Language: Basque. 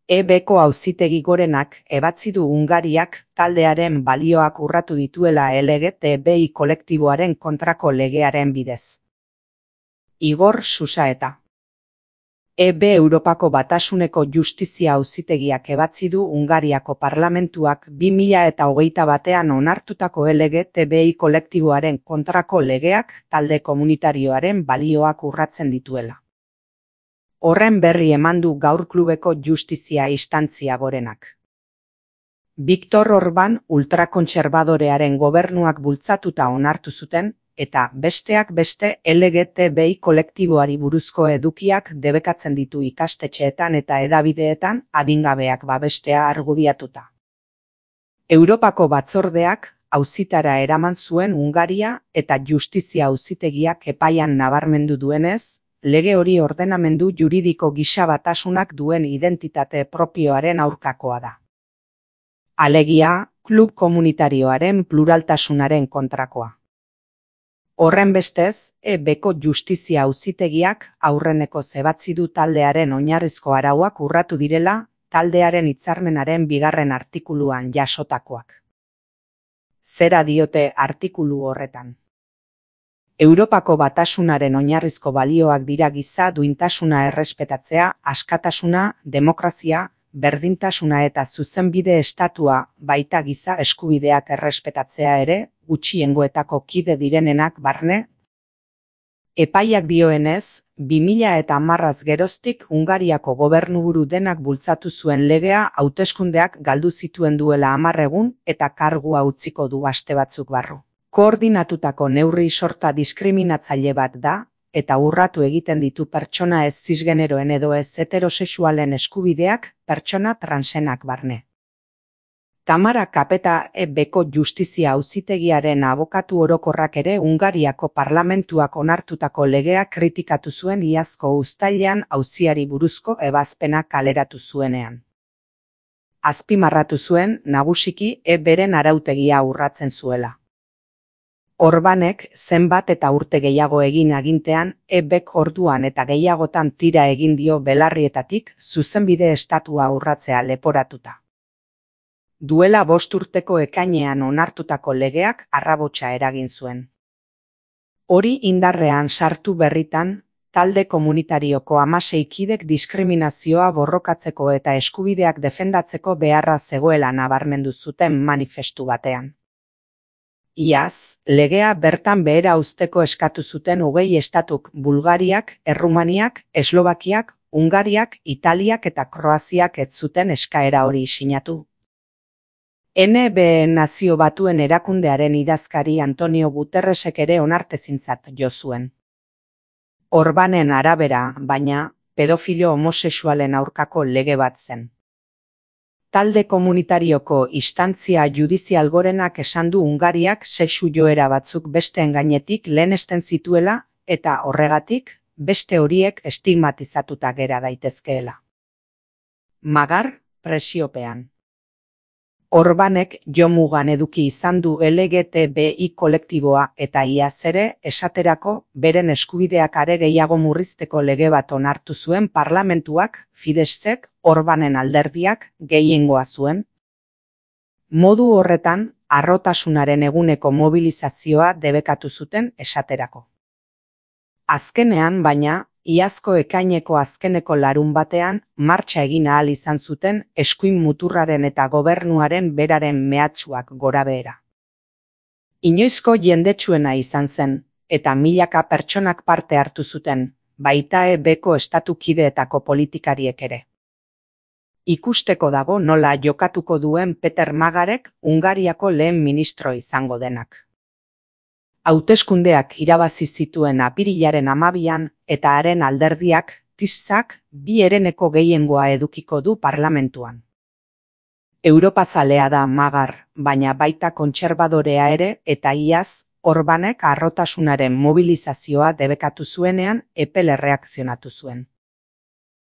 EB-ko Auzitegi Gorenak ebatzi du Hungariak taldearen balioak urratu dituela LGTBI kolektiboaren kontrako legearen bidez. Igor Susaeta. EB Europako Batasuneko Justizia Auzitegiak ebatzi du Hungariako parlamentuak 2021 onartutako LGTBI kolektiboaren kontrako legeak talde komunitarioaren balioak urratzen dituela. Horren berri eman du gaur klubeko Justizia Instantzia Gorenak. Viktor Orban ultrakontserbadorearen gobernuak bultzatuta onartu zuten, eta besteak beste LGTBI kolektiboari buruzko edukiak debekatzen ditu ikastetxeetan eta hedabideetan adingabeak babestea argudiatuta. Europako batzordeak auzitara eraman zuen Hungaria eta Justizia Auzitegiak epaian nabarmendu duenez, lege hori ordenamendu juridiko gisa batasunak duen identitate propioaren aurkakoa da. Alegia, klub komunitarioaren pluraltasunaren kontrakoa. Horren bestez, EB-ko Justizia Auzitegiak aurreneko ebatzi du taldearen oinarrizko arauak urratu direla, taldearen hitzarmenaren 2. artikuluan jasotakoak. Zera diote artikulu horretan? Europako Batasunaren oinarrizko balioak dira giza duintasuna errespetatzea, askatasuna, demokrazia, berdintasuna eta zuzenbide estatua, baita giza eskubideak errespetatzea ere, gutxiengoetako kide direnenak barne. Epaiak dioenez, 2010 geroztik Hungariako gobernuburu denak bultzatu zuen legea hauteskundeak galdu zituen duela 10 egun eta kargua utziko du aste batzuk barru. Koordinatutako neurri sorta diskriminatzaile bat da, eta urratu egiten ditu pertsona ez zisgeneroen edo ez heterosexualen eskubideak, pertsona transenak barne. Tamara Kapeta EB-ko Justizia Auzitegiaren abokatu orokorrak ere Hungariako parlamentuak onartutako legea kritikatu zuen iazko uztailean auziari buruzko ebazpena kaleratu zuenean. Azpimarratu zuen, nagusiki EB-ren arautegia urratzen zuela. Orbanek zenbat eta urte gehiago egin agintean, EB-k orduan eta gehiagotan tira egin dio belarrietatik zuzenbide estatua urratzea leporatuta. Duela 5 urteko ekainean onartutako legeak arrabotsa eragin zuen. Hori indarrean sartu berritan, talde komunitarioko 16 kidek diskriminazioa borrokatzeko eta eskubideak defendatzeko beharra zegoela nabarmendu zuten manifestu batean. Iaz, legea bertan behera uzteko eskatu zuten 20 estatuk Bulgariak, Errumaniak, Eslovakiak, Hungariak, Italiak eta Kroaziak ez zuten eskaera hori sinatu. NB Nazio Batuen erakundearen idazkari Antonio Guterresek ere onartezintzat jo zuen. Orbanen arabera, baina, pedofilo homosexualen aurkako lege bat zen. Talde komunitarioko instantzia judizial gorenak esan du Hungariak sexu joera batzuk besteen gainetik lehenesten zituela eta horregatik beste horiek estigmatizatuta gera daitezkeela. Magar, presiopean. Orbanek jomugan eduki izan du LGTBI kolektiboa eta iaz ere esaterako beren eskubideak are gehiago murrizteko lege bat onartu zuen parlamentuak, Fideszek, Orbanen alderdiak gehiengoa zuen. Modu horretan, harrotasunaren eguneko mobilizazioa debekatu zuten esaterako. Azkenean, baina, iazko ekaineko azkeneko larunbatean martxa egin ahal izan zuten eskuin muturraren eta gobernuaren beraren mehatxuak gorabehera. Inoizko jendetsuena izan zen, eta milaka pertsonak parte hartu zuten, baita EB-ko estatukideetako politikariek ere. Ikusteko dago nola jokatuko duen Peter Magarek Hungariako lehen ministro izango denak. Hauteskundeak irabazi zituen apirilaren 12an eta haren alderdiak, TISak, 2 hereneko gehiengoa edukiko du parlamentuan. Europazalea da Magar, baina baita kontserbadorea ere eta iaz, Orbanek harrotasunaren mobilizazioa debekatu zuenean epel erreakzionatu zuen.